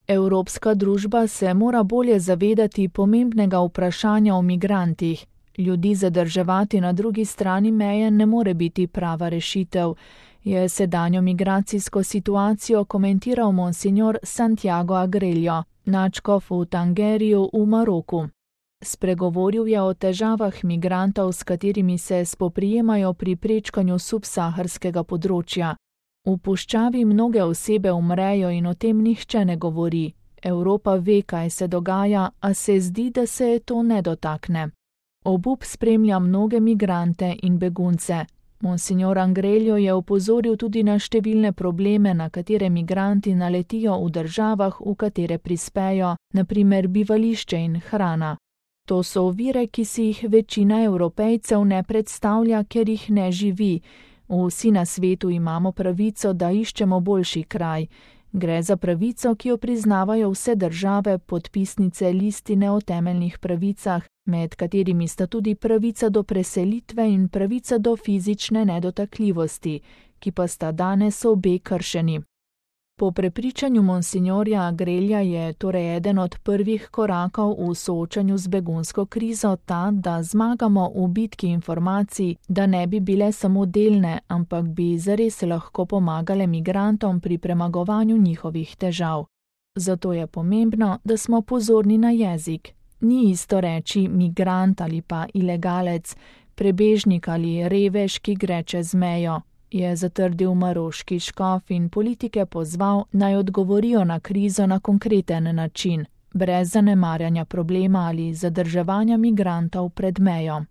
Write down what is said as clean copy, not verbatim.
Evropska družba se mora bolje zavedati pomembnega vprašanja o migrantih. Ljudi zadrževati na drugi strani meje ne more biti prava rešitev, je sedanjo migracijsko situacijo komentiral monsignor Santiago Agrelio, nadškof v Tangeriju v Maroku. Spregovoril je o težavah migrantov, s katerimi se spoprijemajo pri prečkanju subsaharskega področja. V puščavi mnoge osebe umrejo in o tem nihče ne govori. Evropa ve, kaj se dogaja, a se zdi, da se to ne dotakne. Obup spremlja mnoge migrante in begunce. Monsignor Agrelio je opozoril tudi na številne probleme, na katere migranti naletijo v državah, v katere prispejo, na primer bivališče in hrana. To so ovire, ki si jih večina Evropejcev ne predstavlja, ker jih ne živi. Vsi na svetu imamo pravico, da iščemo boljši kraj. Gre za pravico, ki jo priznavajo vse države, podpisnice listine o temeljnih pravicah, med katerimi sta tudi pravica do preselitve in pravica do fizične nedotakljivosti, ki pa sta danes obe kršeni. Po prepričanju monsignorja Agrelja je torej eden od prvih korakov v soočanju z begunsko krizo ta, da zmagamo v bitki informacij, da ne bi bile samo delne, ampak bi zares lahko pomagale migrantom pri premagovanju njihovih težav. Zato je pomembno, da smo pozorni na jezik. Ni isto reči migrant ali pa ilegalec, prebežnik ali revež, ki gre čez mejo, je zatrdil maroški škof in politike pozval, naj odgovorijo na krizo na konkreten način, brez zanemarjanja problema ali zadrževanja migrantov pred mejo.